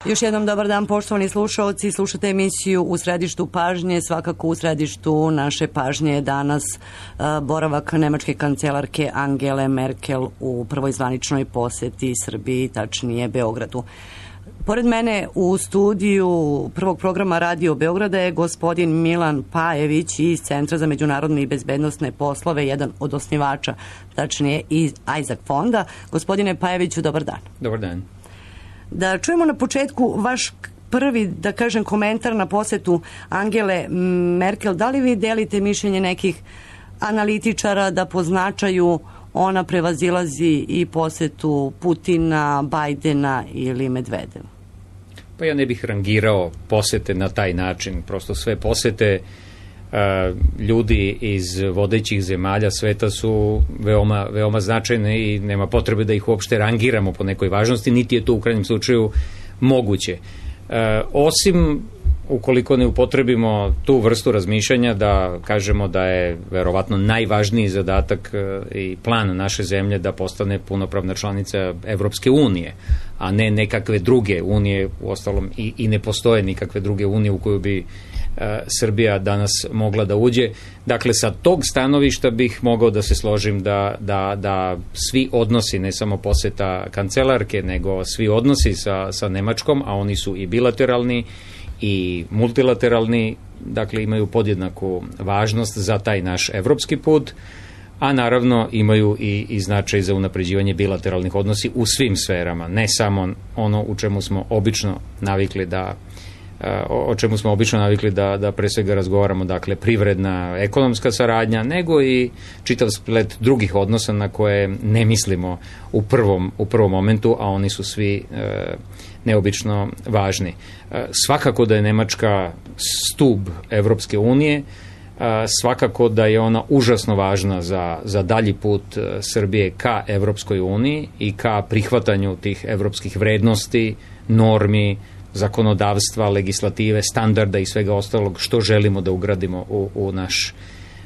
Još jednom dobar dan, poštovani slušaoci. Slušate emisiju U središtu pažnje. Svakako u središtu naše pažnje je danas boravak nemačke kancelarke Angele Merkel u prvoj zvaničnoj poseti Srbiji, tačnije Beogradu. Pored mene u studiju prvog programa Radio Beograda je gospodin Milan Pajević iz Centra za međunarodne i bezbednosne poslove, jedan od osnivača, tačnije iz Isaac fonda. Gospodine Pajeviću, dobar dan. Dobar dan. Da čujemo na početku vaš prvi, da kažem, komentar na posetu Angele Merkel. Da li vi delite mišljenje nekih analitičara da po značaju ona prevazilazi i posetu Putina, Bajdena ili Medvedeva? Pa ja ne bih rangirao posete na taj način. Prosto sve posete ljudi iz vodećih zemalja sveta su veoma značajne i nema potrebe da ih uopšte rangiramo po nekoj važnosti, niti je to u krajnjem slučaju moguće. Osim ukoliko ne upotrebimo tu vrstu razmišljanja da kažemo da je verovatno najvažniji zadatak i plan naše zemlje da postane punopravna članica Evropske unije, a ne nekakve druge unije, uostalom i ne postoje nikakve druge unije u koju bi Srbija danas mogla da uđe. Dakle, sa tog stanovišta bih mogao da se složim da svi odnosi, ne samo poseta kancelarke, nego svi odnosi sa Nemačkom, a oni su i bilateralni i multilateralni, dakle imaju podjednaku važnost za taj naš evropski put, a naravno imaju i značaj za unapređivanje bilateralnih odnosi u svim sferama, ne samo ono u čemu smo obično navikli da pre svega razgovaramo, dakle privredna, ekonomska saradnja, nego i čitav splet drugih odnosa na koje ne mislimo u prvom momentu, a oni su svi neobično važni. Svakako da je Nemačka stub Evropske unije, svakako da je ona užasno važna za dalji put Srbije ka Evropskoj uniji i ka prihvatanju tih evropskih vrednosti, normi, zakonodavstva, legislative, standarda i svega ostalog što želimo da ugradimo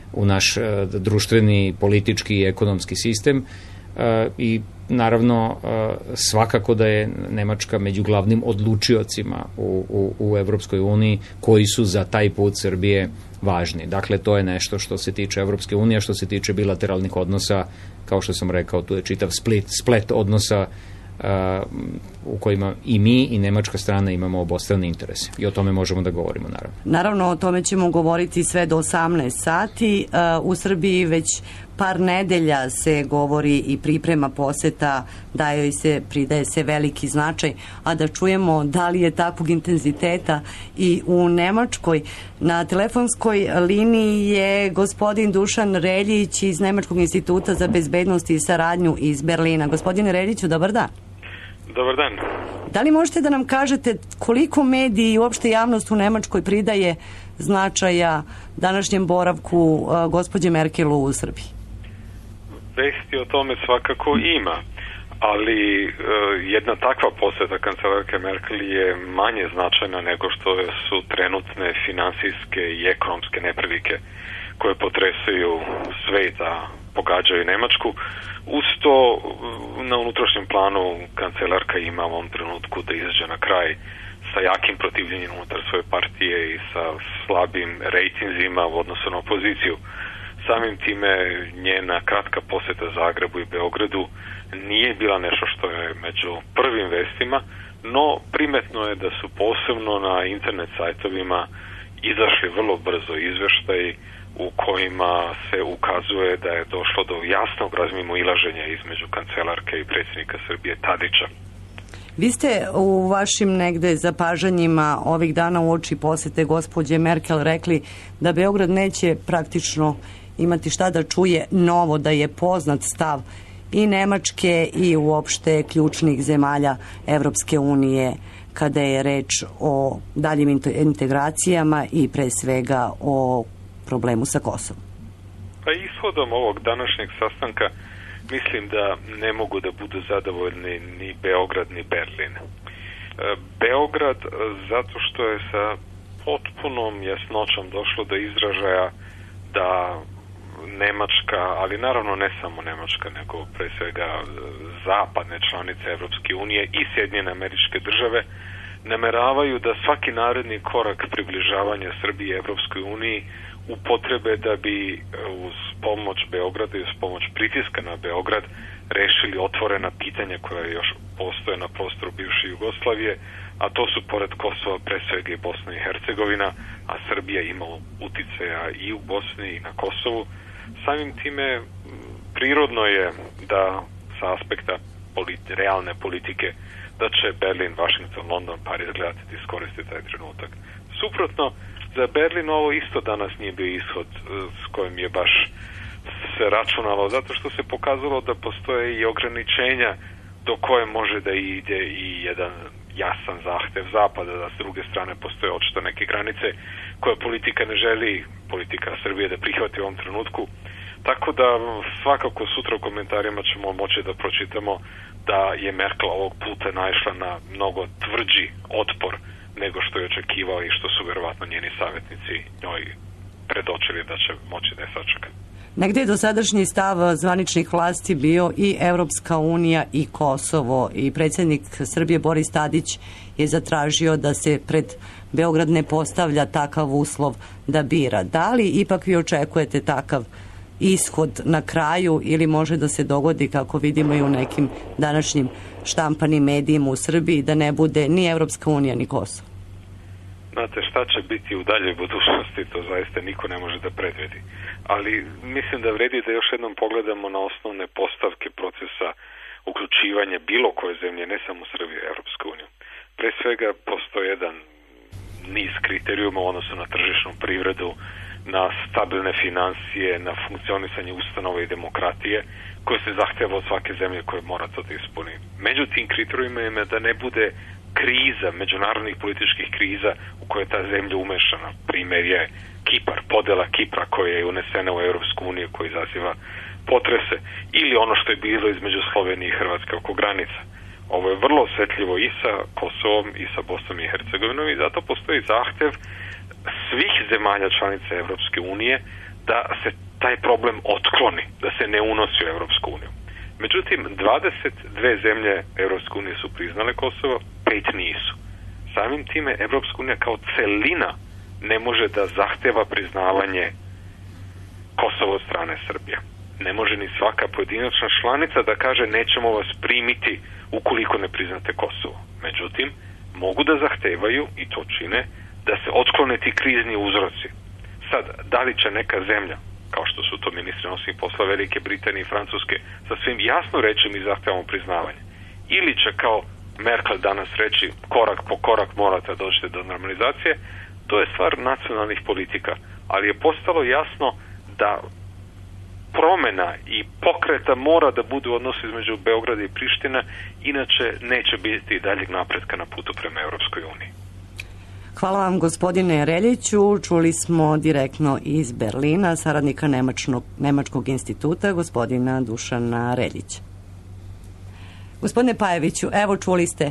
u naš društveni, politički i ekonomski sistem. I naravno svakako da je Nemačka među glavnim odlučiocima u Evropskoj uniji koji su za taj put Srbije važni. Dakle, to je nešto što se tiče Evropske unije, a što se tiče bilateralnih odnosa, kao što sam rekao, tu je čitav splet odnosa u kojima i mi i nemačka strana imamo obostrane interese. I o tome možemo da govorimo, naravno. Naravno, o tome ćemo govoriti sve do 18 sati. U Srbiji već par nedelja se govori i priprema poseta, pridaje se veliki značaj, a da čujemo da li je takvog intenziteta i u Nemačkoj. Na telefonskoj liniji je gospodin Dušan Reljić iz Nemačkog instituta za bezbednost i saradnju iz Berlina. Gospodine Reljiću, dobar dan. Dobar dan. Da li možete da nam kažete koliko mediji i uopšte javnost u Nemačkoj pridaje značaja današnjem boravku gospođe Merkel u Srbiji? Vesti o tome svakako ima, ali jedna takva poseta kancelarke Merkel je manje značajna nego što su trenutne finansijske i ekonomske neprilike koje potresaju sveta, pogađaju Nemačku. Uz to, na unutrašnjem planu kancelarka ima u ovom trenutku da izađe na kraj sa jakim protivljenjem unutar svoje partije i sa slabim rejtinzima u odnosu na opoziciju. Samim time njena kratka poseta Zagrebu i Beogradu nije bila nešto što je među prvim vestima, no primetno je da su posebno na internet sajtovima izašli vrlo brzo izveštaji u kojima se ukazuje da je došlo do jasnog razmimoilaženja između kancelarke i predsjednika Srbije Tadića. Vi ste u vašim negde zapažanjima ovih dana uoči posete gospođe Merkel rekli da Beograd neće praktično imati šta da čuje novo, da je poznat stav i Nemačke i uopšte ključnih zemalja Evropske unije kada je reč o daljim integracijama i pre svega o problemu sa Kosovom. Pa ishodom ovog današnjeg sastanka mislim da ne mogu da budu zadovoljni ni Beograd ni Berlin. Beograd zato što je sa potpunom jasnoćom došlo do izražaja da Nemačka, ali naravno ne samo Nemačka, nego pre svega zapadne članice Evropske unije i Sjedinjene Američke Države nameravaju da svaki naredni korak približavanja Srbije Evropskoj uniji upotrebe da bi uz pomoć Beograda i uz pomoć pritiska na Beograd rešili otvorena pitanja koja još postoje na prostoru bivše Jugoslavije, a to su pored Kosova pre svega i Bosna i Hercegovina, a Srbija imala uticaja i u Bosni i na Kosovu. Samim time prirodno je da sa aspekta realne politike da će Berlin, Washington, London, Pariz gledati da iskoristiti taj trenutak. Suprotno, za Berlin ovo isto danas nije bio ishod s kojim je baš se računalo, zato što se pokazalo da postoje i ograničenja do koje može da ide i jedan jasan zahtev Zapada, da s druge strane postoje očito neke granice koje politika ne želi, politika Srbije da prihvati u ovom trenutku. Tako da svakako sutra u komentarima ćemo moći da pročitamo da je Merkel ovog puta naišla na mnogo tvrđi otpor nego što je očekivao i što su verovatno njeni savjetnici njoj predočili da će moći da je sačeka. Negde je dosadašnji stav zvaničnih vlasti bio i Evropska unija i Kosovo, i predsjednik Srbije Boris Tadić je zatražio da se pred Beograd ne postavlja takav uslov da bira. Da li ipak vi očekujete takav ishod na kraju ili može da se dogodi, kako vidimo i u nekim današnjim štampanim medijima u Srbiji, da ne bude ni Evropska unija ni Kosovo? Znate, šta će biti u daljoj budućnosti, to zaista niko ne može da predvidi. Ali mislim da vredi da još jednom pogledamo na osnovne postavke procesa uključivanja bilo koje zemlje, ne samo Srbije, Evropsku uniju. Pre svega postoji jedan niz kriterijuma u odnosu na tržišnu privredu, na stabilne finansije, na funkcionisanje ustanova i demokratije, koje se zahteva od svake zemlje koje mora to da ispuni. Među tim kriterijuma je da ne bude kriza, međunarodnih političkih kriza u koje je ta zemlja umešana. Primer je Kipar, podela Kipra koja je unesena u Evropsku uniju, koja izaziva potrese, ili ono što je bilo između Slovenije i Hrvatske oko granica. Ovo je vrlo osjetljivo i sa Kosovom i sa Bosnom i Hercegovinom i zato postoji zahtev svih zemalja članica Evropske unije da se taj problem otkloni, da se ne unosi u Evropsku uniju. Međutim, 22 zemlje Evropske unije su priznale Kosovo, 5 nisu. Samim time Evropska unija kao celina ne može da zahteva priznavanje Kosova od strane Srbije. Ne može ni svaka pojedinačna članica da kaže nećemo vas primiti ukoliko ne priznate Kosovo. Međutim, mogu da zahtevaju, i to čine, da se otklone ti krizni uzroci. Sad, da li će neka zemlja, kao što su to ministri nosnih posla Velike Britanije i Francuske, sa svim jasno reći mi zahtevamo priznavanje, ili će kao Merkel danas reći korak po korak morate doći do normalizacije, to je stvar nacionalnih politika, ali je postalo jasno da promena i pokreta mora da bude u odnosu između Beograda i Priština, inače neće biti daljeg napretka na putu prema Evropskoj uniji. Hvala vam, gospodine Reljiću. Čuli smo direktno iz Berlina saradnika Nemačkog instituta, gospodina Dušana Reljića. Gospodine Pajeviću, evo čuli ste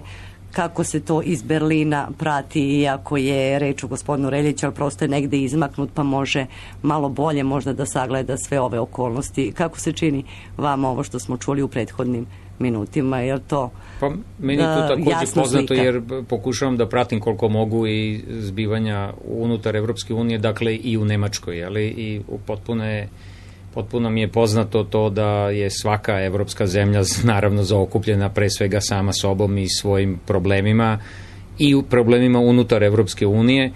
kako se to iz Berlina prati, iako je reč o gospodinu Reljiću, ali prosto je negde izmaknut, pa može malo bolje možda da sagleda sve ove okolnosti. Kako se čini vama ovo što smo čuli u prethodnim minutima, je li to pa, meni je to također poznato slika? Jer pokušavam da pratim koliko mogu i zbivanja unutar Evropske unije, dakle i u Nemačkoj, ali i potpuno mi je poznato to da je svaka evropska zemlja naravno zaokupljena pre svega sama sobom i svojim problemima i u problemima unutar Evropske unije,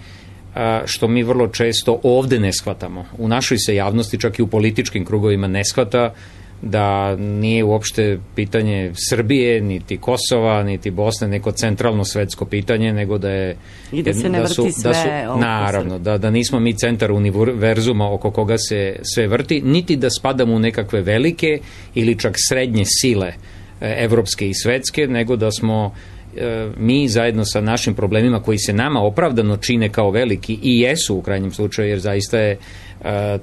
što mi vrlo često ovde ne shvatamo. U našoj se javnosti, čak i u političkim krugovima, ne shvata da nije uopšte pitanje Srbije, niti Kosova, niti Bosne neko centralno svetsko pitanje, nego da je i da se ne vrti sve naravno, da nismo mi centar univerzuma oko koga se sve vrti, niti da spadamo u nekakve velike ili čak srednje sile evropske i svetske, nego da smo mi zajedno sa našim problemima koji se nama opravdano čine kao veliki i jesu u krajnjem slučaju, jer zaista je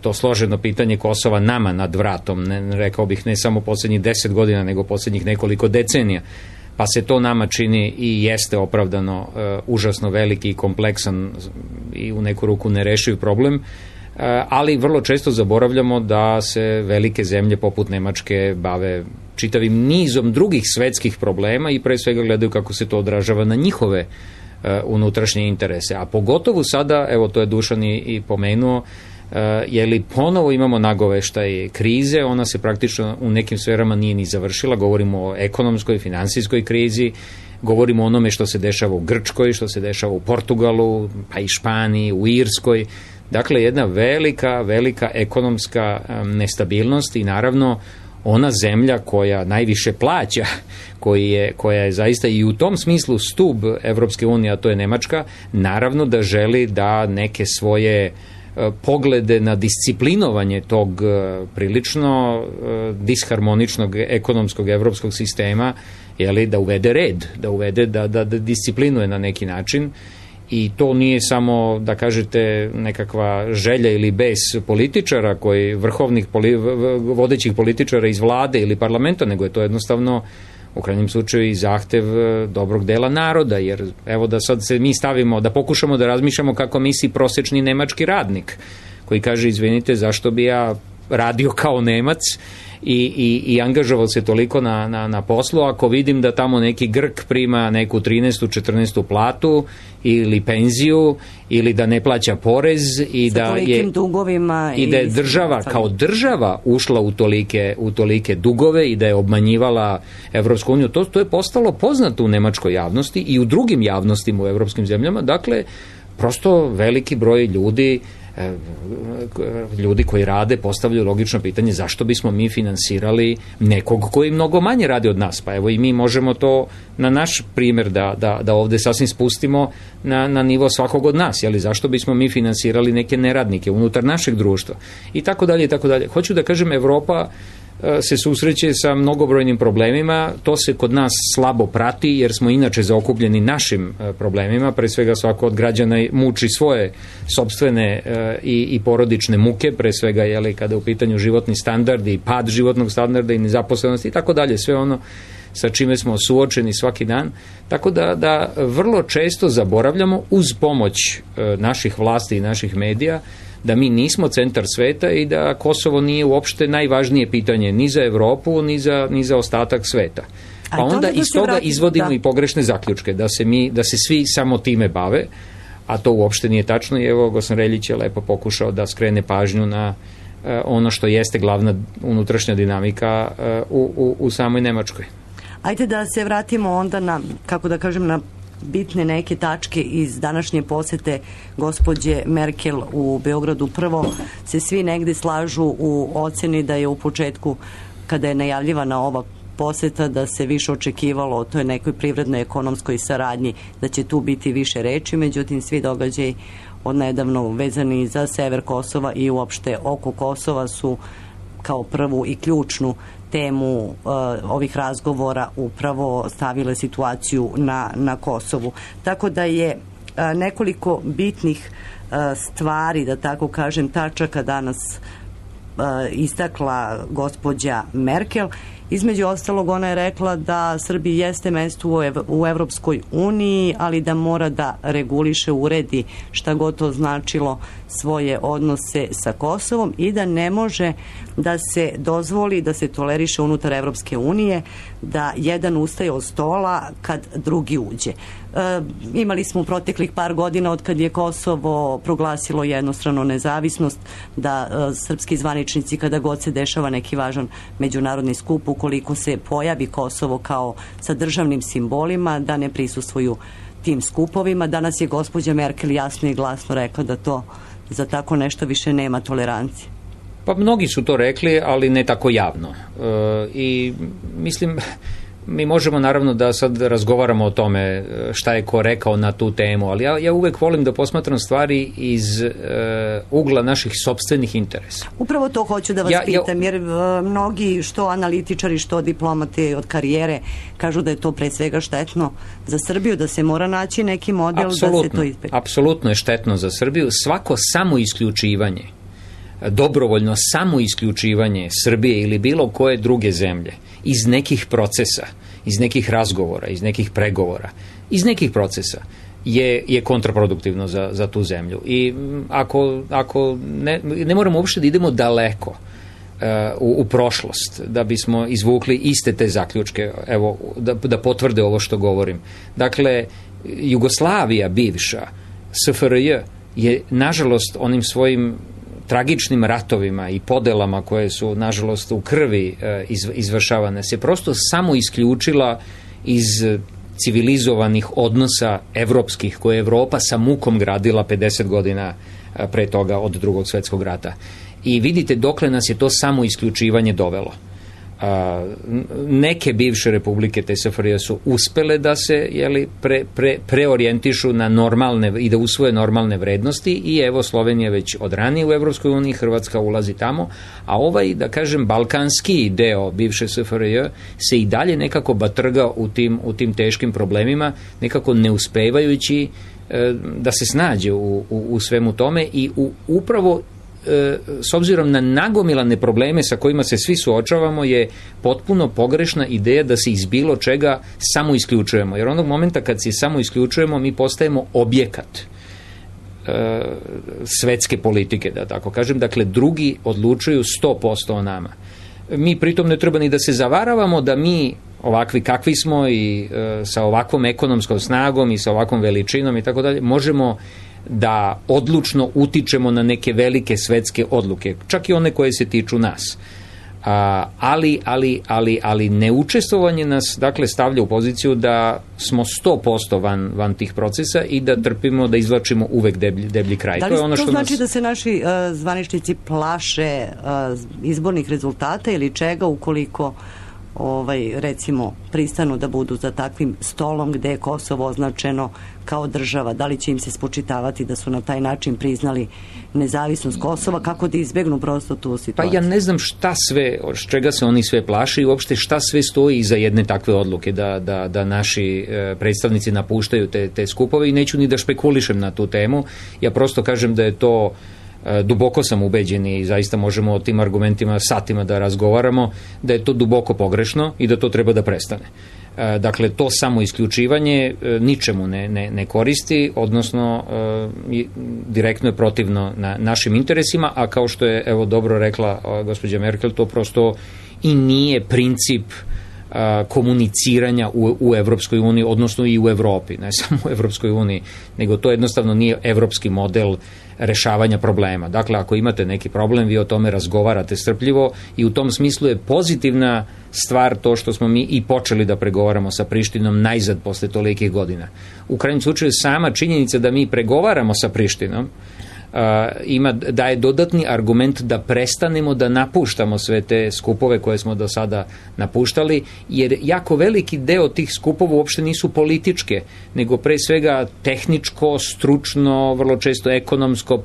to složeno pitanje Kosova nama nad vratom, rekao bih ne samo poslednjih 10 godina, nego poslednjih nekoliko decenija, pa se to nama čini i jeste opravdano užasno veliki i kompleksan i u neku ruku nerešiv problem, ali vrlo često zaboravljamo da se velike zemlje poput Nemačke bave čitavim nizom drugih svetskih problema i pre svega gledaju kako se to odražava na njihove unutrašnje interese. A pogotovo sada, evo to je Dušan i pomenuo, je li ponovo imamo nagoveštaj krize, ona se praktično u nekim sferama nije ni završila, govorimo o ekonomskoj, finansijskoj krizi, govorimo o onome što se dešava u Grčkoj, što se dešava u Portugalu, pa i Španiji, u Irskoj. Dakle, jedna velika ekonomska nestabilnost i naravno ona zemlja koja najviše plaća, koja je zaista i u tom smislu stub Evropske unije, a to je Nemačka, naravno da želi da neke svoje poglede na disciplinovanje tog prilično disharmoničnog ekonomskog evropskog sistema, da uvede red, da disciplinuje na neki način. I to nije samo, da kažete, nekakva želja ili bes političara, vodećih političara iz vlade ili parlamenta, nego je to jednostavno u krajnjem slučaju i zahtev dobrog dela naroda, jer evo da sad se mi stavimo, da pokušamo da razmišljamo kako misli prosečni nemački radnik, koji kaže, izvinite, zašto bi ja radio kao Nemac i angažovao se toliko na poslu, ako vidim da tamo neki Grk prima neku 13. 14. platu ili penziju, ili da ne plaća porez i da je država kao država ušla u tolike dugove i da je obmanjivala Evropsku uniju. To je postalo poznato u nemačkoj javnosti i u drugim javnostima u evropskim zemljama. Dakle, prosto veliki broj ljudi koji rade postavljaju logično pitanje zašto bismo mi finansirali nekog koji mnogo manje radi od nas. Pa evo i mi možemo to na naš primjer da ovde sasvim spustimo na nivo svakog od nas. Zašto bismo mi finansirali neke neradnike unutar našeg društva i tako dalje i tako dalje. Hoću da kažem, Evropa se susreće sa mnogobrojnim problemima, to se kod nas slabo prati jer smo inače zaokupljeni našim problemima, pre svega svako od građana muči svoje sopstvene i porodične muke, pre svega kada je u pitanju životni standard i pad životnog standarda i nezaposlenosti i tako dalje, sve ono sa čime smo suočeni svaki dan, tako da vrlo često zaboravljamo uz pomoć naših vlasti i naših medija da mi nismo centar sveta i da Kosovo nije uopšte najvažnije pitanje ni za Evropu, ni za ostatak sveta. Pa onda iz toga izvodimo i pogrešne zaključke, da se svi samo time bave, a to uopšte nije tačno i evo Gosan Reljić je lepo pokušao da skrene pažnju na ono što jeste glavna unutrašnja dinamika u samoj Nemačkoj. Ajde da se vratimo onda na bitne neke tačke iz današnje posete gospođe Merkel u Beogradu. Prvo se svi negde slažu u oceni da je u početku, kada je najavljivana ova poseta, da se više očekivalo o toj nekoj privrednoj ekonomskoj saradnji, da će tu biti više reči, međutim svi događaji odnedavno vezani za sever Kosova i uopšte oko Kosova su kao prvu i ključnu temu ovih razgovora upravo stavile situaciju na Kosovu. Tako da je nekoliko bitnih stvari, da tako kažem, tačaka danas istakla gospođa Merkel. Između ostalog, ona je rekla da Srbiji jeste mesto u Evropskoj uniji, ali da mora da reguliše, uredi, šta god to značilo, svoje odnose sa Kosovom i da ne može da se dozvoli, da se toleriše unutar Evropske unije, da jedan ustaje od stola kad drugi uđe. Imali smo u proteklih par godina od kad je Kosovo proglasilo jednostrano nezavisnost, da srpski zvaničnici, kada god se dešava neki važan međunarodni skup, ukoliko se pojavi Kosovo kao sa državnim simbolima, da ne prisustvuju tim skupovima. Danas je gospođa Merkel jasno i glasno rekla da to za tako nešto više nema tolerancije. Pa mnogi su to rekli, ali ne tako javno. I mislim, mi možemo naravno da sad razgovaramo o tome šta je ko rekao na tu temu, ali ja uvek volim da posmatram stvari iz ugla naših sopstvenih interesa. Upravo to hoću da vas pitam, jer mnogi, što analitičari, što diplomati od karijere, kažu da je to pre svega štetno za Srbiju, da se mora naći neki model da se to izbegne. Apsolutno je štetno za Srbiju. Svako samoisključivanje, dobrovoljno samoisključivanje Srbije ili bilo koje druge zemlje iz nekih procesa, iz nekih razgovora, iz nekih pregovora, iz nekih procesa je kontraproduktivno za tu zemlju. I ako ne moramo uopšte da idemo daleko u prošlost da bismo izvukli iste te zaključke, evo, da potvrde ovo što govorim. Dakle, Jugoslavija bivša, SFRJ, je nažalost onim svojim tragičnim ratovima i podelama koje su nažalost u krvi izvršavane se prosto samo isključila iz civilizovanih odnosa evropskih koje je Evropa sa mukom gradila 50 godina pre toga od Drugog svjetskog rata. I vidite dokle nas je to samo isključivanje dovelo. Neke bivše republike te SFRJ su uspele da se preorijentišu na normalne i da usvoje normalne vrednosti i evo Slovenija već od ranije u Evropskoj uniji, Hrvatska ulazi tamo, a ovaj, da kažem, balkanski deo bivše SFRJ se i dalje nekako batrga u tim teškim problemima, nekako ne uspevajući da se snađe u svemu tome i upravo s obzirom na nagomilane probleme sa kojima se svi suočavamo je potpuno pogrešna ideja da se iz bilo čega samo isključujemo. Jer onog momenta kad se samo isključujemo mi postajemo objekat svetske politike, da tako kažem. Dakle, drugi odlučuju 100% o nama. Mi pritom ne treba ni da se zavaravamo da mi ovakvi kakvi smo i sa ovakvom ekonomskom snagom i sa ovakvom veličinom i tako dalje možemo da odlučno utičemo na neke velike odluke, čak i one koje se tiču nas. Ali neučestvovanje nas dakle stavlja u poziciju da smo 100% van tih procesa i da trpimo, da izvlačimo uvek deblji kraj. Da li to znači da se naši zvaničnici plaše izbornih rezultata ili čega ukoliko recimo pristanu da budu za takvim stolom gde je Kosovo označeno kao država? Da li će im se spočitavati da su na taj način priznali nezavisnost Kosova? Kako da izbegnu prosto tu situaciju? Pa ja ne znam šta sve, čega se oni sve plaše i uopšte šta sve stoji iza jedne takve odluke da naši predstavnici napuštaju te skupove i neću ni da špekulišem na tu temu. Ja prosto kažem da je to duboko sam ubeđen i zaista možemo o tim argumentima satima da razgovaramo, da je to duboko pogrešno i da to treba da prestane. Dakle, to samo isključivanje ničemu ne koristi, odnosno direktno je protivno našim interesima, a kao što je evo dobro rekla gospođa Merkel, to prosto i nije princip komuniciranja u Evropskoj uniji, odnosno i u Evropi, ne samo u Evropskoj uniji, nego to jednostavno nije evropski model rešavanja problema. Dakle, ako imate neki problem, vi o tome razgovarate strpljivo i u tom smislu je pozitivna stvar to što smo mi i počeli da pregovaramo sa Prištinom najzad posle tolikih godina. U krajnjem slučaju sama činjenica da mi pregovaramo sa Prištinom daje dodatni argument da prestanemo da napuštamo sve te skupove koje smo do sada napuštali, jer jako veliki deo tih skupova uopšte nisu političke, nego pre svega tehničko, stručno, vrlo često ekonomsko,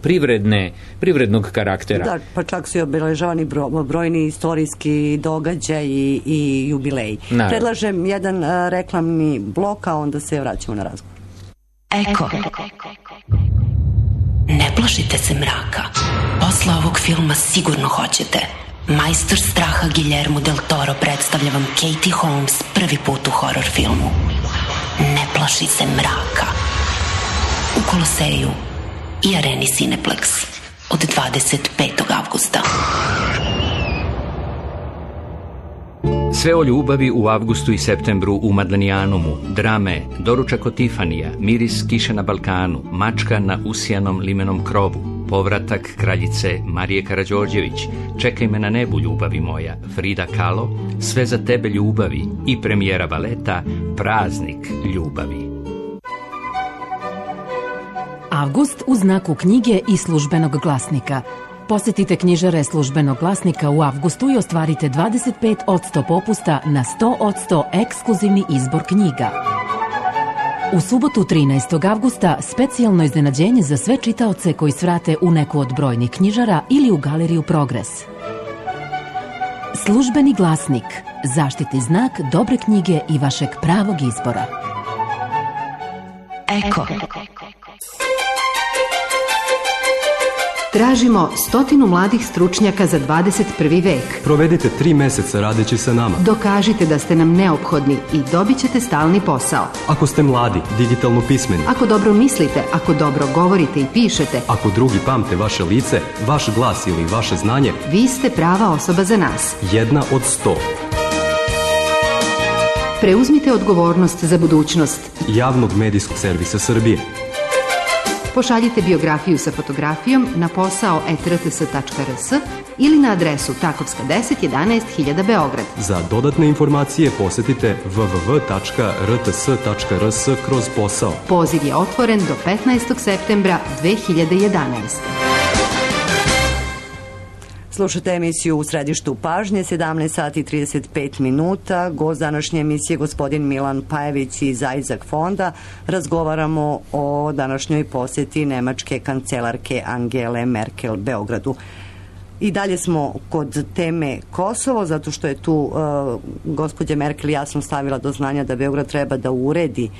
privrednog karaktera. Da, pa čak su i obeležavani brojni istorijski događaji i jubileji. Naravno. Predlažem jedan reklamni blok, a onda se vraćamo na razgovor. Eko. Ne plašite se mraka. Posle ovog filma sigurno hoćete. Majstor straha Guillermo del Toro predstavlja vam Katie Holmes prvi put u horor filmu. Ne plaši se mraka. U Koloseju i areni Cineplex od 25. avgusta. Sve o ljubavi u avgustu i septembru u Madlenijanumu, drame, doručak od Tifanija, miris kiše na Balkanu, mačka na usijanom limenom krovu, povratak kraljice Marije Karađorđević, čekaj me na nebu ljubavi moja, Frida Kahlo, sve za tebe ljubavi i premijera baleta Praznik ljubavi. Avgust u znaku knjige i službenog glasnika. Posetite knjižare službenog glasnika u avgustu i ostvarite 25% popusta na 100% ekskluzivni izbor knjiga. U subotu 13. avgusta specijalno iznenađenje za sve čitaoce koji svrate u neku od brojnih knjižara ili u galeriju Progres. Službeni glasnik, zaštitni znak dobre knjige i vašeg pravog izbora. Eko. Tražimo 100 mladih stručnjaka za 21. vek. Provedite 3 meseca radeći sa nama. Dokažite da ste nam neophodni i dobit ćete stalni posao. Ako ste mladi, digitalno pismeni. Ako dobro mislite, ako dobro govorite i pišete. Ako drugi pamte vaše lice, vaš glas ili vaše znanje. Vi ste prava osoba za nas. 1 od 100. Preuzmite odgovornost za budućnost javnog medijskog servisa Srbije. Pošaljite biografiju sa fotografijom na posao@rts.rs ili na adresu Takovska 10 11 000 Beograd. Za dodatne informacije posetite www.rts.rs/posao. Poziv je otvoren do 15. septembra 2011. Slušate emisiju U središtu pažnje, 17 sati 35 minuta. Gost današnje emisije je gospodin Milan Pajević iz Isaac fonda. Razgovaramo o današnjoj posjeti nemačke kancelarke Angele Merkel Beogradu. I dalje smo kod teme Kosovo, zato što je tu gospođa Merkel jasno stavila do znanja da Beograd treba da uredi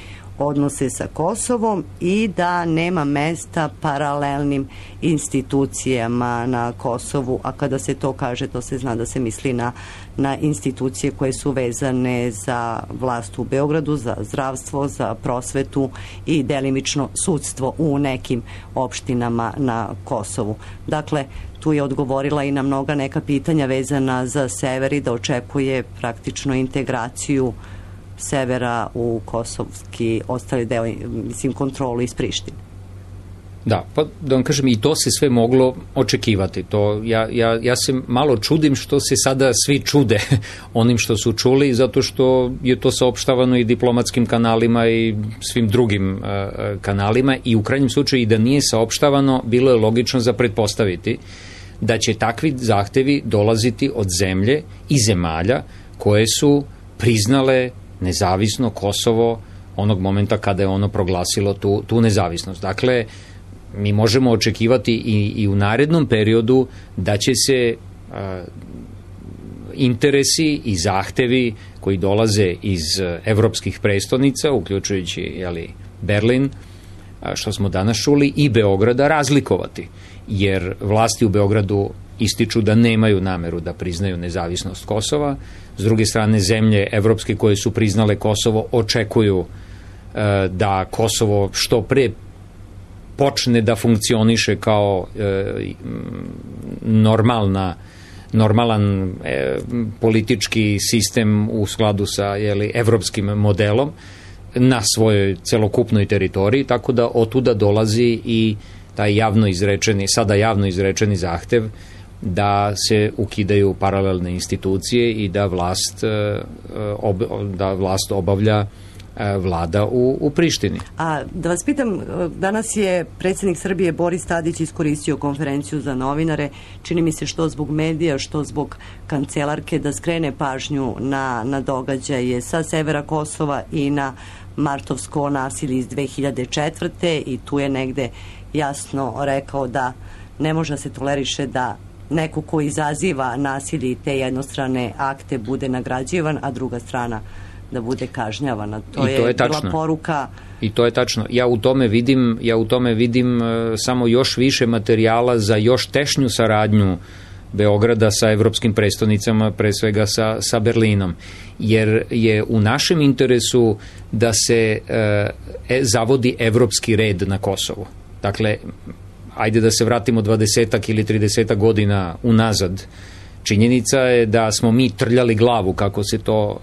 odnose sa Kosovom i da nema mesta paralelnim institucijama na Kosovu, a kada se to kaže, to se zna da se misli na institucije koje su vezane za vlast u Beogradu, za zdravstvo, za prosvetu i delimično sudstvo u nekim opštinama na Kosovu. Dakle, tu je odgovorila i na mnoga neka pitanja vezana za sever i da očekuje praktično integraciju severa u kosovski ostali deo, mislim, kontrolu iz Prištine. Da, pa da vam kažem, i to se sve moglo očekivati. To, ja se malo čudim što se sada svi čude onim što su čuli, zato što je to saopštavano i diplomatskim kanalima i svim drugim kanalima i u krajnjem slučaju i da nije saopštavano, bilo je logično za pretpostaviti da će takvi zahtevi dolaziti od zemlje i zemalja koje su priznale nezavisno Kosovo onog momenta kada je ono proglasilo tu nezavisnost. Dakle, mi možemo očekivati i u narednom periodu da će se interesi i zahtevi koji dolaze iz evropskih prestonica, uključujući Berlin, što smo danas čuli, i Beograda razlikovati. Jer vlasti u Beogradu ističu da nemaju nameru da priznaju nezavisnost Kosova. S druge strane, zemlje evropske koje su priznale Kosovo očekuju da Kosovo što pre počne da funkcioniše kao normalan politički sistem u skladu sa evropskim modelom na svojoj celokupnoj teritoriji, tako da otuda dolazi i taj sada javno izrečeni zahtev da se ukidaju paralelne institucije i da vlast obavlja vlada u Prištini. A da vas pitam, danas je predsjednik Srbije Boris Tadić iskoristio konferenciju za novinare, čini mi se što zbog medija, što zbog kancelarke, da skrene pažnju na događaje sa severa Kosova i na martovsko nasilje iz 2004. i tu je negde jasno rekao da ne može se toleriše da neko ko izaziva nasilje i te jednostrane akte bude nagrađivan, a druga strana da bude kažnjavana. To je bila poruka. I to je tačno. Ja u tome vidim samo još više materijala za još tešnju saradnju Beograda sa evropskim prestonicama, pre svega sa Berlinom. Jer je u našem interesu da se zavodi evropski red na Kosovu. Dakle, ajde da se vratimo 20 ili 30 godina unazad. Činjenica je da smo mi trljali glavu, kako se to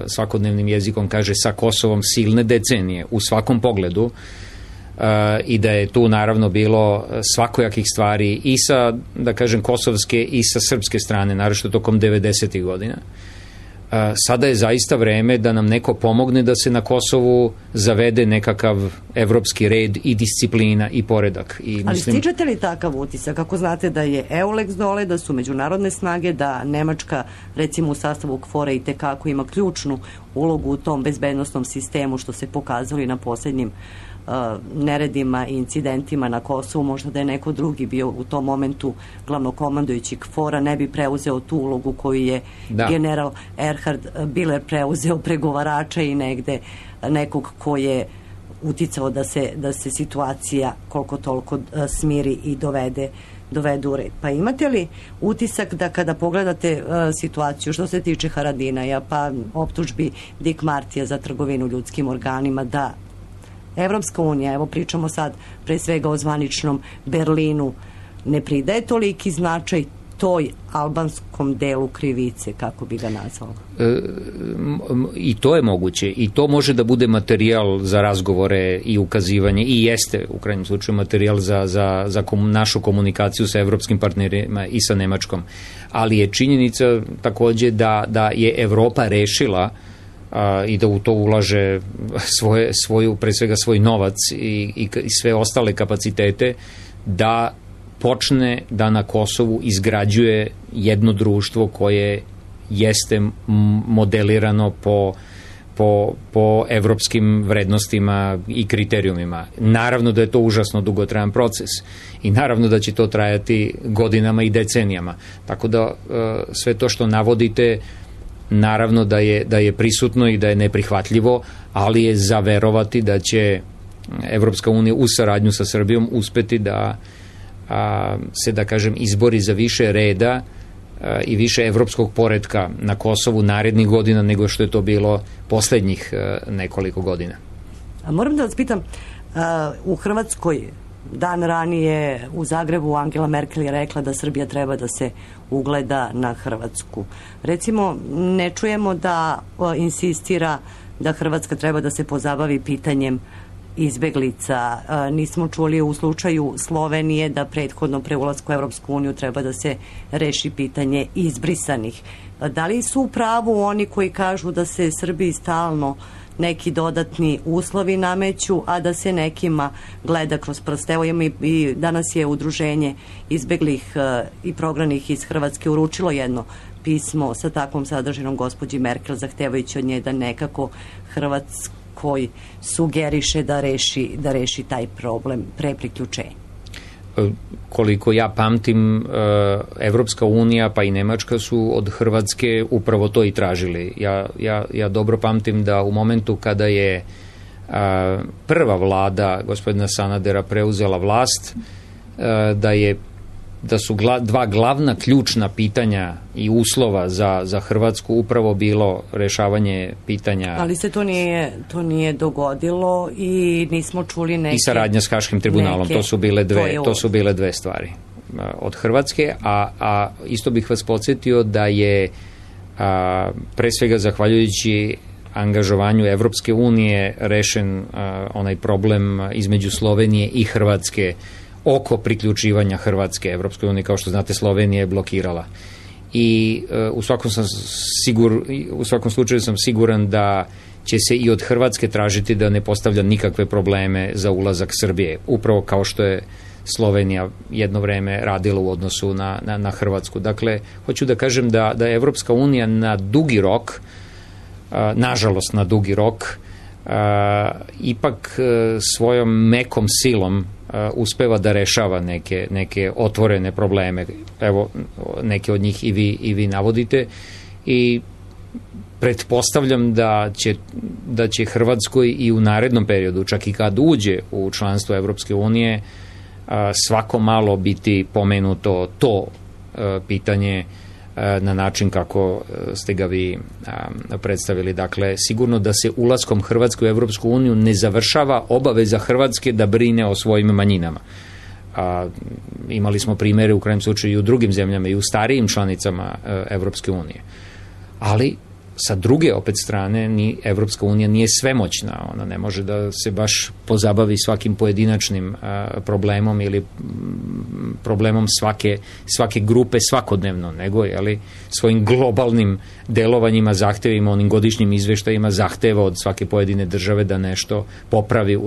svakodnevnim jezikom kaže, sa Kosovom silne decenije u svakom pogledu i da je tu naravno bilo svakojakih stvari i sa, da kažem, kosovske i sa srpske strane, naročito tokom 90. godina. Sada je zaista vreme da nam neko pomogne da se na Kosovu zavede nekakav evropski red i disciplina i poredak. Ali stičete li takav utisak? Kako znate da je EULEX dole, da su međunarodne snage, da Nemačka, recimo u sastavu KFOR-a, i tekako ima ključnu ulogu u tom bezbednostnom sistemu, što se pokazalo i na posljednjim neredima i incidentima na Kosovu, možda da je neko drugi bio u tom momentu glavnokomandujući KFOR-a, ne bi preuzeo tu ulogu koju je general Erhard Biller preuzeo, pregovarača i negde nekog ko je uticao da se situacija koliko toliko smiri i dovede u red. Pa imate li utisak da kada pogledate situaciju što se tiče Haradinaja, pa optužbi Dick Martija za trgovinu ljudskim organima, da Evropska unija, evo pričamo sad pre svega o zvaničnom Berlinu, ne pridaje toliki značaj toj albanskom delu krivice, kako bi ga nazvala? I to je moguće. I to može da bude materijal za razgovore i ukazivanje i jeste u krajnjem slučaju materijal za našu komunikaciju sa evropskim partnerima i sa Nemačkom. Ali je činjenica takođe da je Evropa rešila i da u to ulaže pre svega svoj novac i sve ostale kapacitete, da počne da na Kosovu izgrađuje jedno društvo koje jeste modelirano po evropskim vrednostima i kriterijumima. Naravno da je to užasno dugotrajan proces i naravno da će to trajati godinama i decenijama. Tako da sve to što navodite, naravno da je prisutno i da je neprihvatljivo, ali je za verovati da će Evropska unija u saradnju sa Srbijom uspeti da se, da kažem, izbori za više reda i više evropskog poretka na Kosovu narednih godina nego što je to bilo poslednjih nekoliko godina. Moram da vas pitam, u Hrvatskoj dan ranije u Zagrebu Angela Merkel je rekla da Srbija treba da se ugleda na Hrvatsku. Recimo, ne čujemo da insistira da Hrvatska treba da se pozabavi pitanjem izbeglica. Nismo čuli u slučaju Slovenije da prethodno pre ulasku u Evropsku uniju treba da se reši pitanje izbrisanih. Da li su u pravu oni koji kažu da se Srbiji stalno neki dodatni uslovi nameću, a da se nekima gleda kroz prste? Evo i danas je udruženje izbeglih i prognanih iz Hrvatske uručilo jedno pismo sa takvom sadržinom gospođi Merkel, zahtevajući od nje da nekako Hrvatskoj sugeriše da reši taj problem pre priključenja. Koliko ja pamtim, Evropska unija pa i Nemačka su od Hrvatske upravo to i tražili. Ja dobro pamtim da u momentu kada je prva vlada gospodina Sanadera preuzela vlast, da su dva glavna ključna pitanja i uslova za Hrvatsku upravo bilo rešavanje pitanja. Ali se to nije dogodilo i nismo čuli neke... I saradnja s Haškim tribunalom, to su bile dve stvari od Hrvatske, a isto bih vas podsjetio da je pre svega zahvaljujući angažovanju Evropske unije rešen onaj problem između Slovenije i Hrvatske oko priključivanja Hrvatske Evropskoj uniji. Kao što znate, Slovenija je blokirala. I u svakom slučaju sam siguran da će se i od Hrvatske tražiti da ne postavlja nikakve probleme za ulazak Srbije. Upravo kao što je Slovenija jedno vreme radila u odnosu na Hrvatsku. Dakle, hoću da kažem da je Evropska unija na dugi rok, nažalost na dugi rok, ipak svojom mekom silom uspeva da rešava neke otvorene probleme. Evo, neke od njih i vi navodite i pretpostavljam da će Hrvatskoj i u narednom periodu, čak i kad uđe u članstvo Evropske unije, svako malo biti pomenuto to pitanje na način kako ste ga vi predstavili. Dakle, sigurno da se ulaskom Hrvatske u Evropsku uniju ne završava obaveza Hrvatske da brine o svojim manjinama. Imali smo primere u krajem slučaju i u drugim zemljama i u starijim članicama Evropske unije. Ali sa druge opet strane ni Evropska unija nije svemoćna, ona ne može da se baš pozabavi svakim pojedinačnim problemom ili problemom svake grupe svakodnevno, nego svojim globalnim delovanjima, zahtevima, onim godišnjim izveštajima zahteva od svake pojedine države da nešto popravi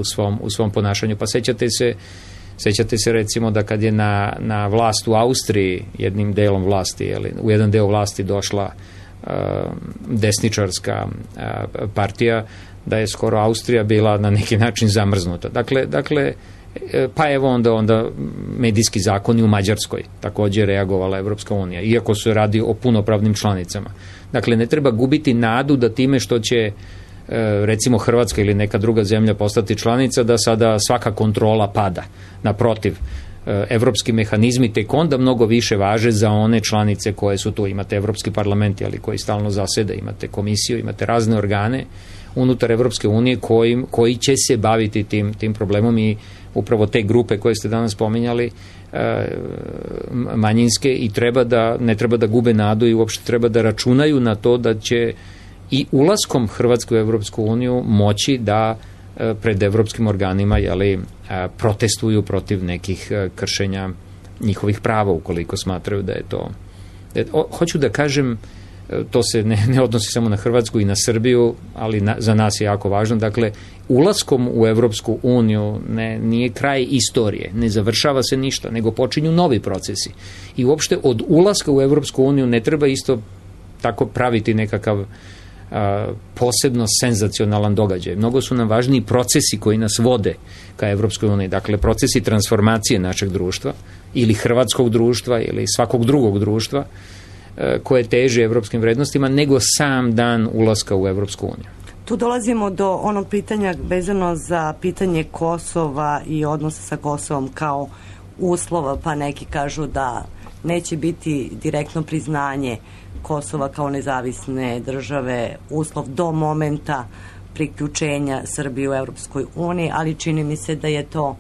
u svom ponašanju. Pa sećate se recimo da kad je na vlast u Austriji jednim delom vlasti, u jedan deo vlasti došla desničarska partija, da je skoro Austrija bila na neki način zamrznuta. Dakle, pa evo onda medijski zakoni u Mađarskoj takođe reagovala Evropska unija, iako se radi o punopravnim članicama. Dakle, ne treba gubiti nadu da time što će recimo Hrvatska ili neka druga zemlja postati članica, da sada svaka kontrola pada. Naprotiv, evropski mehanizmi tek onda mnogo više važe za one članice koje su tu. Imate Evropski parlament, ali koji stalno zaseda, imate komisiju, imate razne organe unutar Evropske unije koji će se baviti tim problemom i upravo te grupe koje ste danas spominjali, manjinske, i ne treba da gube nadu i uopšte treba da računaju na to da će i ulaskom Hrvatske u Evropsku uniju moći da pred evropskim organima protestuju protiv nekih kršenja njihovih prava ukoliko smatraju da je to. Hoću da kažem, to se ne odnosi samo na Hrvatsku i na Srbiju, ali za nas je jako važno. Dakle, ulaskom u Evropsku uniju nije kraj istorije, ne završava se ništa, nego počinju novi procesi. I uopšte od ulaska u Evropsku uniju ne treba isto tako praviti nekakav posebno senzacionalan događaj. Mnogo su nam važniji procesi koji nas vode ka Evropskoj uniji. Dakle, procesi transformacije našeg društva ili hrvatskog društva ili svakog drugog društva koje teže evropskim vrednostima nego sam dan ulaska u Evropsku uniju. Tu dolazimo do onog pitanja vezano za pitanje Kosova i odnosa sa Kosovom kao uslova, pa neki kažu da neće biti direktno priznanje Kosova kao nezavisne države uslov do momenta priključenja Srbije u Evropskoj uniji, ali čini mi se da je to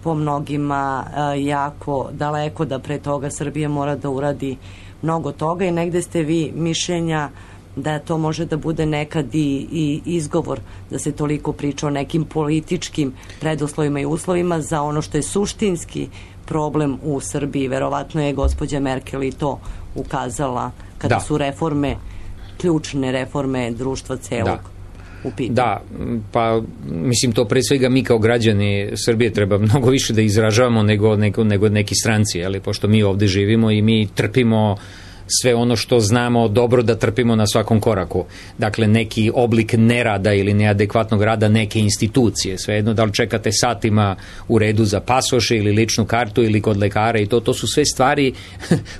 po mnogima jako daleko, da pre toga Srbija mora da uradi mnogo toga i negde ste vi mišljenja da to može da bude nekad i izgovor da se toliko priča o nekim političkim preduslovima i uslovima za ono što je suštinski problem u Srbiji. Verovatno je gospođa Merkel i to ukazala kada su reforme, ključne reforme društva celog u pitanju. Da, pa mislim to pre svega mi kao građani Srbije treba mnogo više da izražavamo nego neki stranci, pošto mi ovde živimo i mi trpimo sve ono što znamo dobro da trpimo na svakom koraku. Dakle, neki oblik nerada ili neadekvatnog rada neke institucije. Svejedno da li čekate satima u redu za pasoše ili ličnu kartu ili kod lekara i to su sve stvari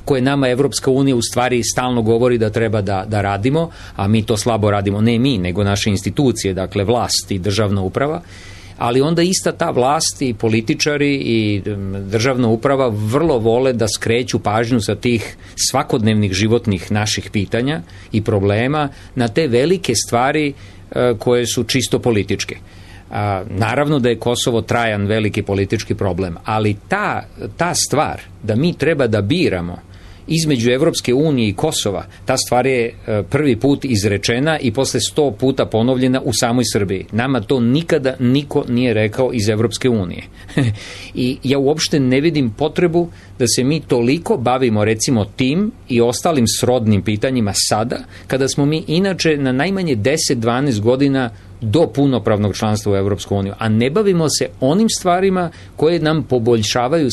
koje nama Evropska unija u stvari stalno govori da treba da radimo, a mi to slabo radimo. Ne mi, nego naše institucije, dakle vlast i državna uprava. Ali onda ista ta vlast i političari i državna uprava vrlo vole da skreću pažnju sa tih svakodnevnih životnih naših pitanja i problema na te velike stvari koje su čisto političke. Naravno da je Kosovo trajan veliki politički problem, ali ta stvar da mi treba da biramo između Evropske unije i Kosova, ta stvar je prvi put izrečena i posle 100 puta ponovljena u samoj Srbiji. Nama to nikada niko nije rekao iz Evropske unije. I ja uopšte ne vidim potrebu da se mi toliko bavimo recimo tim i ostalim srodnim pitanjima sada, kada smo mi inače na najmanje 10-12 godina do punopravnog članstva u Evropsku uniju, a ne bavimo se onim stvarima koje nam poboljšavaju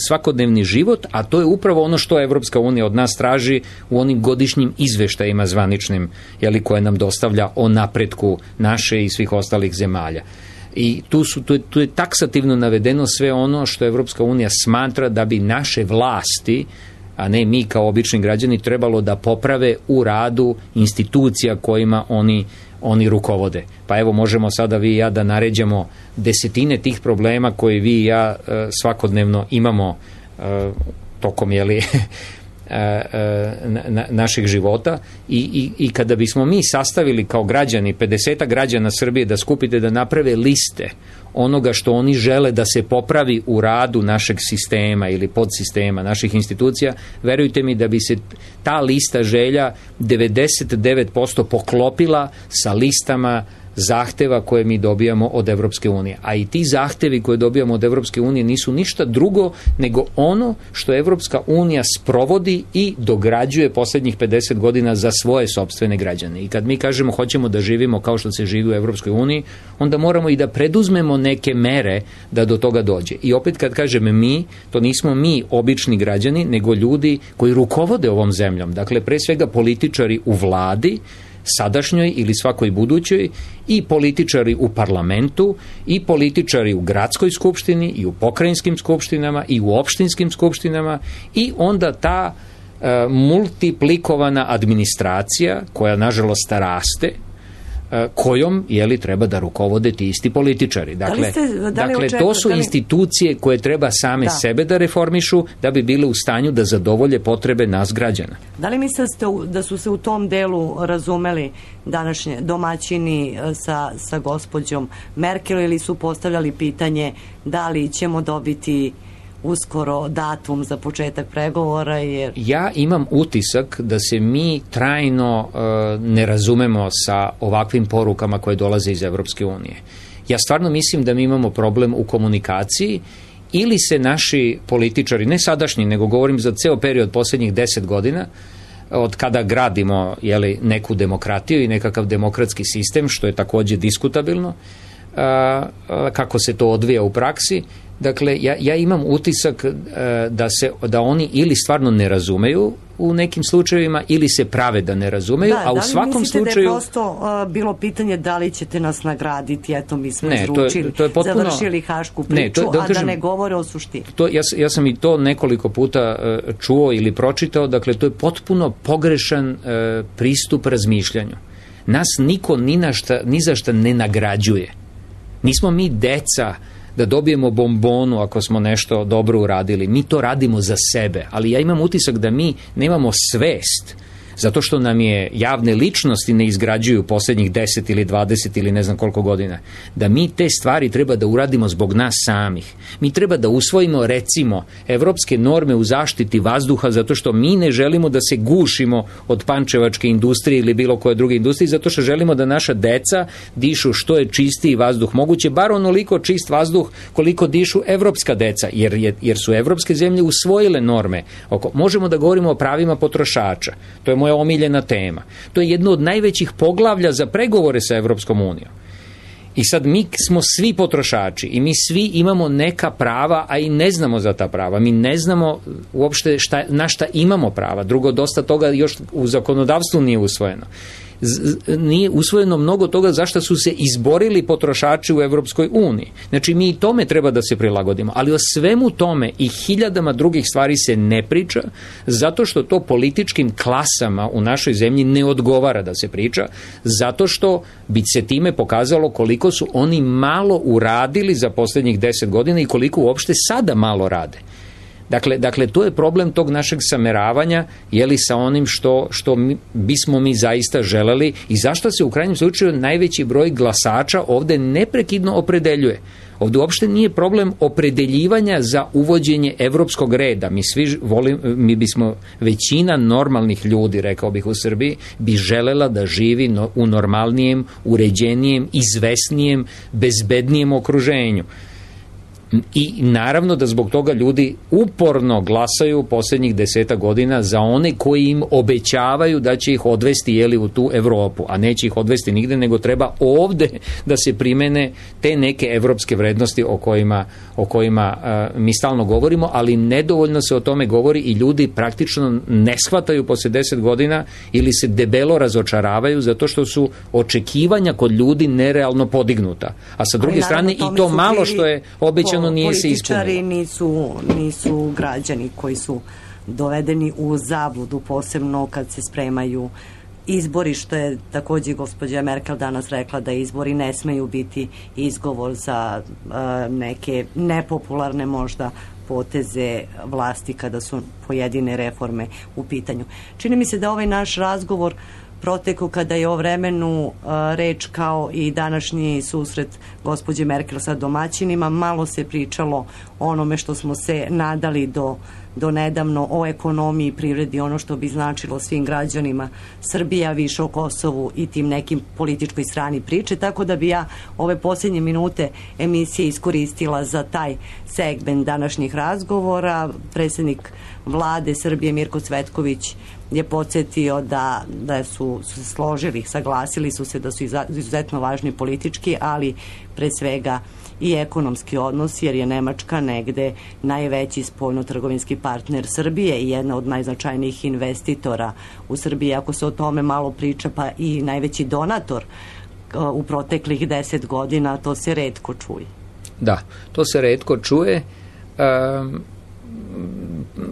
svakodnevni život, a to je upravo ono što Evropska unija od nas traži u onim godišnjim izveštajima zvaničnim, koje nam dostavlja o napretku naše i svih ostalih zemalja. I tu je taksativno navedeno sve ono što Evropska unija smatra da bi naše vlasti, a ne mi kao obični građani, trebalo da poprave u radu institucija kojima oni rukovode. Pa evo, možemo sada vi i ja da naređamo desetine tih problema koje vi i ja svakodnevno imamo tokom naših života i kada bismo mi sastavili kao građani, 50 građana Srbije da skupite da naprave liste onoga što oni žele da se popravi u radu našeg sistema ili podsistema, naših institucija, verujte mi da bi se ta lista želja 99% poklopila sa listama zahteva koje mi dobijamo od Evropske unije. A i ti zahtevi koje dobijamo od Evropske unije nisu ništa drugo nego ono što Evropska unija sprovodi i dograđuje poslednjih 50 godina za svoje sopstvene građane. I kad mi kažemo hoćemo da živimo kao što se živi u Evropskoj uniji, onda moramo i da preduzmemo neke mere da do toga dođe. I opet kad kažem mi, to nismo mi obični građani, nego ljudi koji rukovode ovom zemljom. Dakle, pre svega političari u vladi, sadašnjoj ili svakoj budućoj, i političari u parlamentu, i političari u gradskoj skupštini, i u pokrajinskim skupštinama, i u opštinskim skupštinama, i onda ta multiplikovana administracija, koja nažalost raste, kojom treba da rukovode ti isti političari. Dakle, to su institucije koje treba same sebe da reformišu da bi bile u stanju da zadovolje potrebe nas građana. Da li mislite da su se u tom delu razumeli današnje domaćini sa gospođom Merkel ili su postavljali pitanje da li ćemo dobiti uskoro datum za početak pregovora? Ja imam utisak da se mi trajno ne razumemo sa ovakvim porukama koje dolaze iz Evropske unije. Ja stvarno mislim da mi imamo problem u komunikaciji ili se naši političari, ne sadašnji, nego govorim za ceo period posljednjih 10 godina, od kada gradimo neku demokratiju i nekakav demokratski sistem, što je također diskutabilno, kako se to odvija u praksi. Dakle, ja imam utisak da oni ili stvarno ne razumeju u nekim slučajevima ili se prave da ne razumeju, a u svakom slučaju... Da li mislite da je prosto bilo pitanje da li ćete nas nagraditi, eto mi smo izručili, završili hašku priču, a da ne govore o suštini? Ja sam i to nekoliko puta čuo ili pročitao, dakle to je potpuno pogrešan pristup razmišljanju. Nas niko ni za šta ne nagrađuje. Nismo mi deca da dobijemo bombonu ako smo nešto dobro uradili. Mi to radimo za sebe, ali ja imam utisak da mi nemamo svest, zato što nam je javne ličnosti ne izgrađuju posljednjih 10 ili 20 ili ne znam koliko godina, da mi te stvari treba da uradimo zbog nas samih. Mi treba da usvojimo, recimo, evropske norme u zaštiti vazduha, zato što mi ne želimo da se gušimo od pančevačke industrije ili bilo koje druge industrije, zato što želimo da naša deca dišu što je čistiji vazduh moguće, bar onoliko čist vazduh koliko dišu evropska deca, jer su evropske zemlje usvojile norme. Možemo da govorimo o pravima potrošača. To je moja omiljena tema. To je jedno od najvećih poglavlja za pregovore sa Evropskom unijom. I sad mi smo svi potrošači i mi svi imamo neka prava, a i ne znamo za ta prava. Mi ne znamo uopšte na šta imamo prava. Drugo, dosta toga još u zakonodavstvu nije usvojeno. Nije usvojeno mnogo toga zašto su se izborili potrošači u Evropskoj uniji. Znači, mi i tome treba da se prilagodimo. Ali o svemu tome i hiljadama drugih stvari se ne priča, zato što to političkim klasama u našoj zemlji ne odgovara da se priča, zato što bi se time pokazalo koliko su oni malo uradili za posljednjih 10 godina i koliko uopšte sada malo rade. Dakle, to je problem tog našeg sameravanja, sa onim što bismo mi zaista želeli i zašto se u krajnjem slučaju najveći broj glasača ovde neprekidno opredeljuje. Ovde uopšte nije problem opredeljivanja za uvođenje evropskog reda. Mi bismo, većina normalnih ljudi, rekao bih u Srbiji, bi želela da živi u normalnijem, uređenijem, izvesnijem, bezbednijem okruženju. I naravno da zbog toga ljudi uporno glasaju posljednjih 10 godina za one koji im obećavaju da će ih odvesti u tu Evropu, a neće ih odvesti nigde, nego treba ovde da se primene te neke evropske vrednosti o kojima mi stalno govorimo, ali nedovoljno se o tome govori i ljudi praktično ne shvataju poslije 10 godina ili se debelo razočaravaju zato što su očekivanja kod ljudi nerealno podignuta. A sa druge strane i to malo što je obećano nije se ispunilo. Političari nisu građani koji su dovedeni u zabludu, posebno kad se spremaju izbori, što je također gospođa Merkel danas rekla da izbori ne smeju biti izgovor za neke nepopularne možda poteze vlasti kada su pojedine reforme u pitanju. Čini mi se da ovaj naš razgovor proteku kada je o vremenu reč kao i današnji susret gospođe Merkel sa domaćinima, malo se pričalo o onome što smo se nadali do nedavno, o ekonomiji, privredi, ono što bi značilo svim građanima Srbija, više o Kosovu i tim nekim političkoj strani priče, tako da bi ja ove posljednje minute emisije iskoristila za taj segment današnjih razgovora. Predsjednik vlade Srbije Mirko Cvetković je podsjetio da su se složili, saglasili su se da su izuzetno važni politički, ali pre svega i ekonomski odnos, jer je Nemačka negde najveći spoljno-trgovinski partner Srbije i jedna od najznačajnijih investitora u Srbiji. Ako se o tome malo priča, pa i najveći donator u proteklih 10 godina, to se retko čuje. Da, to se retko čuje.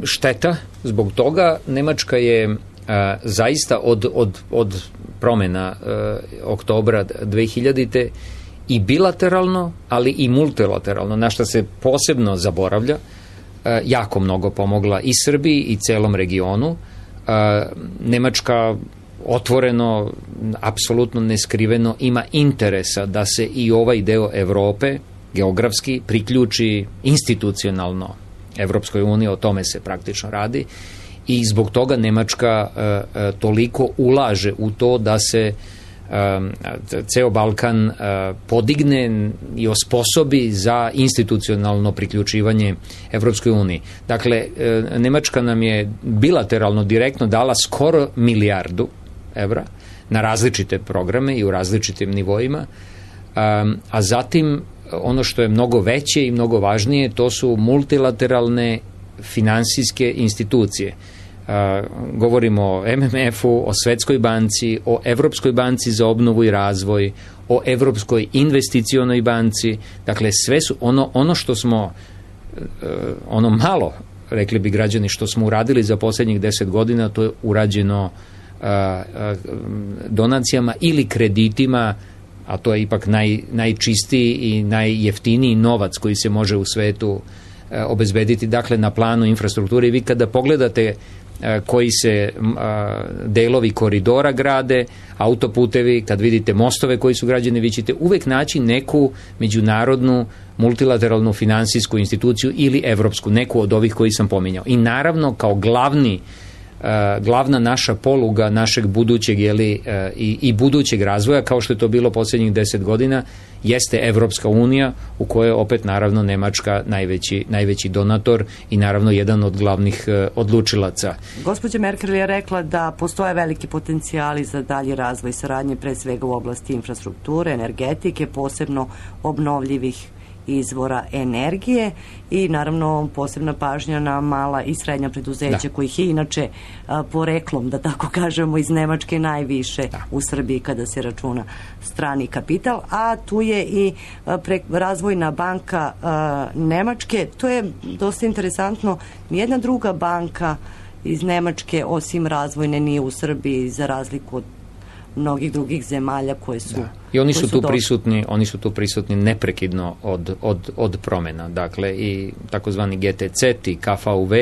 Šteta zbog toga. Nemačka je zaista od promena oktobra 2000. i bilateralno, ali i multilateralno, na što se posebno zaboravlja, jako mnogo pomogla i Srbiji i celom regionu. Nemačka otvoreno, apsolutno neskriveno ima interesa da se i ovaj deo Evrope geografski priključi institucionalno Evropskoj uniji, o tome se praktično radi, i zbog toga Nemačka toliko ulaže u to da se ceo Balkan podigne i osposobi za institucionalno priključivanje Evropskoj uniji. Dakle, Nemačka nam je bilateralno direktno dala skoro milijardu evra na različite programe i u različitim nivoima, a zatim ono što je mnogo veće i mnogo važnije, to su multilateralne finansijske institucije. Govorimo o MMF-u, o Svetskoj banci, o Evropskoj banci za obnovu i razvoj, o Evropskoj investicionoj banci. Dakle, sve su ono što smo, ono malo, rekli bi građani, što smo uradili za posljednjih 10 godina, to je urađeno donacijama ili kreditima, a to je ipak najčistiji i najjeftiniji novac koji se može u svetu obezbediti, dakle na planu infrastrukture. I vi kada pogledate koji se delovi koridora grade, autoputevi, kad vidite mostove koji su građeni, vi ćete uvek naći neku međunarodnu multilateralnu finansijsku instituciju ili evropsku, neku od ovih koji sam pominjao. I naravno kao glavna naša poluga našeg budućeg i budućeg razvoja, kao što je to bilo posljednjih 10 godina, jeste Evropska unija, u kojoj je opet naravno Nemačka najveći donator i naravno jedan od glavnih odlučilaca. Gospođa Merkel je rekla da postoje veliki potencijali za dalji razvoj saradnje, pre svega u oblasti infrastrukture, energetike, posebno obnovljivih izvora energije i naravno posebna pažnja na mala i srednja preduzeća kojih je inače poreklom, da tako kažemo, iz Nemačke najviše u Srbiji kada se računa strani kapital, a tu je i Razvojna banka Nemačke. To je dosta interesantno. Nijedna druga banka iz Nemačke osim razvojne nije u Srbiji, za razliku od mnogih drugih zemalja koje su... I oni su tu prisutni neprekidno od promena. Dakle, i takozvani GTC i KFUV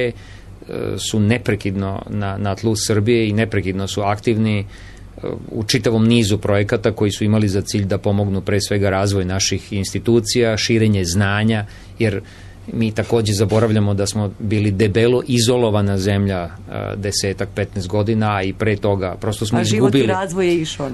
su neprekidno na tlu Srbije i neprekidno su aktivni u čitavom nizu projekata koji su imali za cilj da pomognu pre svega razvoj naših institucija, širenje znanja, jer mi također zaboravljamo da smo bili debelo izolovana zemlja 10-15 godina, a i pre toga prosto smo izgubili. A život i razvoj je išao.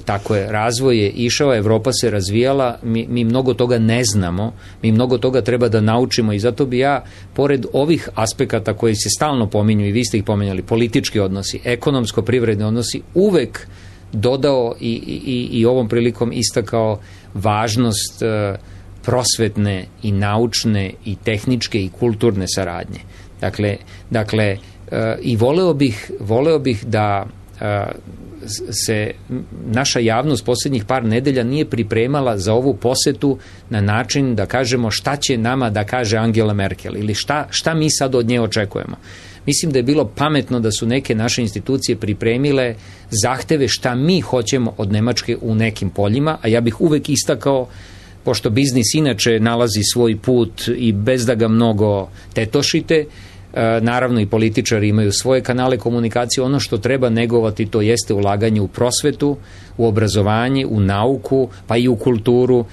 Tako je, razvoj je išao, Evropa se razvijala, mi mnogo toga ne znamo, mi mnogo toga treba da naučimo i zato bi ja, pored ovih aspekata koji se stalno pominju i vi ste ih pominjali, politički odnosi, ekonomsko-privredni odnosi, uvek dodao i ovom prilikom istakao važnost prosvetne i naučne i tehničke i kulturne saradnje. Dakle i voleo bih da se naša javnost posljednjih par nedelja nije pripremala za ovu posetu na način da kažemo šta će nama da kaže Angela Merkel ili šta mi sad od nje očekujemo. Mislim da je bilo pametno da su neke naše institucije pripremile zahteve šta mi hoćemo od Nemačke u nekim poljima, a ja bih uvek istakao, pošto biznis inače nalazi svoj put i bez da ga mnogo tetošite, naravno i političari imaju svoje kanale komunikacije, ono što treba negovati to jeste ulaganje u prosvetu, u obrazovanje, u nauku, pa i u kulturu.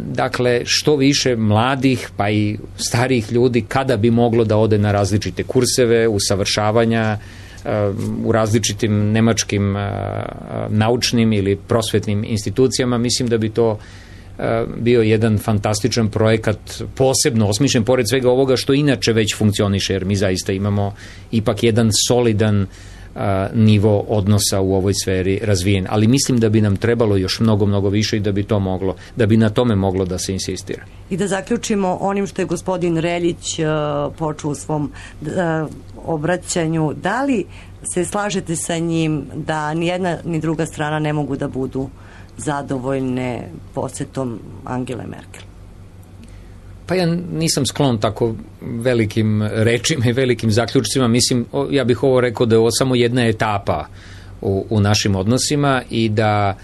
Dakle, što više mladih pa i starijih ljudi kada bi moglo da ode na različite kurseve, usavršavanja, u različitim nemačkim naučnim ili prosvetnim institucijama, mislim da bi to bio jedan fantastičan projekat, posebno osmišljen, pored svega ovoga što inače već funkcioniše, jer mi zaista imamo ipak jedan solidan nivo odnosa u ovoj sferi razvijen. Ali mislim da bi nam trebalo još mnogo više i da bi na tome moglo da se insistira. I da zaključimo onim što je gospodin Reljić počeo u svom obraćanju. Da li se slažete sa njim da ni jedna ni druga strana ne mogu da budu zadovoljne posetom Angele Merkel? Pa ja nisam sklon tako velikim rečima i velikim zaključcima. Mislim, ja bih ovo rekao da je ovo samo jedna etapa u našim odnosima i da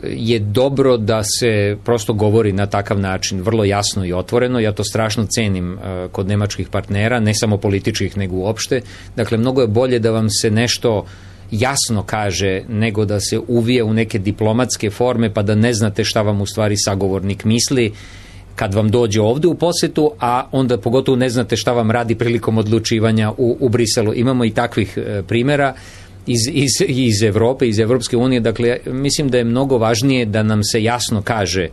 je dobro da se prosto govori na takav način, vrlo jasno i otvoreno. Ja to strašno cenim kod nemačkih partnera, ne samo političkih nego uopšte. Dakle, mnogo je bolje da vam se nešto jasno kaže nego da se uvije u neke diplomatske forme pa da ne znate šta vam u stvari sagovornik misli kad vam dođe ovde u posetu, a onda pogotovo ne znate šta vam radi prilikom odlučivanja u Briselu. Imamo i takvih primjera iz Evrope, iz Evropske unije. Dakle, mislim da je mnogo važnije da nam se jasno kaže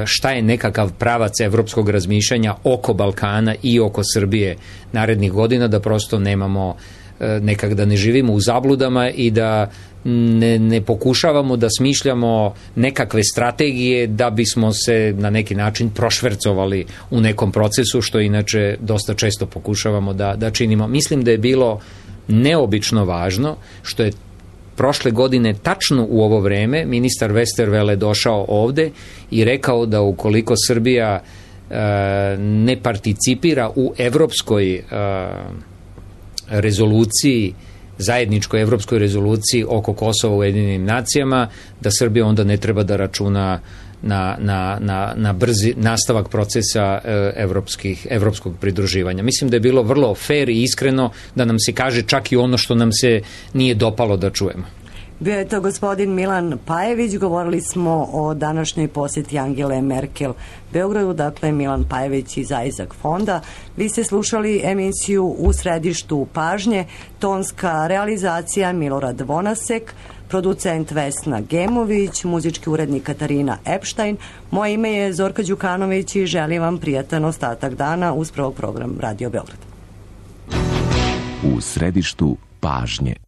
šta je nekakav pravac evropskog razmišljanja oko Balkana i oko Srbije narednih godina, da prosto nemamo nekak da ne živimo u zabludama i da ne pokušavamo da smišljamo nekakve strategije da bismo se na neki način prošvercovali u nekom procesu, što inače dosta često pokušavamo da činimo. Mislim da je bilo neobično važno što je prošle godine tačno u ovo vreme ministar Westerwelle došao ovde i rekao da ukoliko Srbija ne participira u evropskoj rezoluciji, zajedničkoj evropskoj rezoluciji oko Kosova u Ujedinjenim nacijama, da Srbija onda ne treba da računa na brzi nastavak procesa evropskog pridruživanja. Mislim da je bilo vrlo fair i iskreno da nam se kaže čak i ono što nam se nije dopalo da čujemo. Bio je to gospodin Milan Pajević, govorili smo o današnjoj posjeti Angele Merkel Beogradu, dakle Milan Pajević iz Isaac fonda. Vi ste slušali emisiju U središtu pažnje, tonska realizacija Milorad Vonasek, producent Vesna Gemović, muzički urednik Katarina Epštajn. Moje ime je Zorka Đukanović i želim vam prijatan ostatak dana uz prvog program Radio Beograd. U središtu pažnje.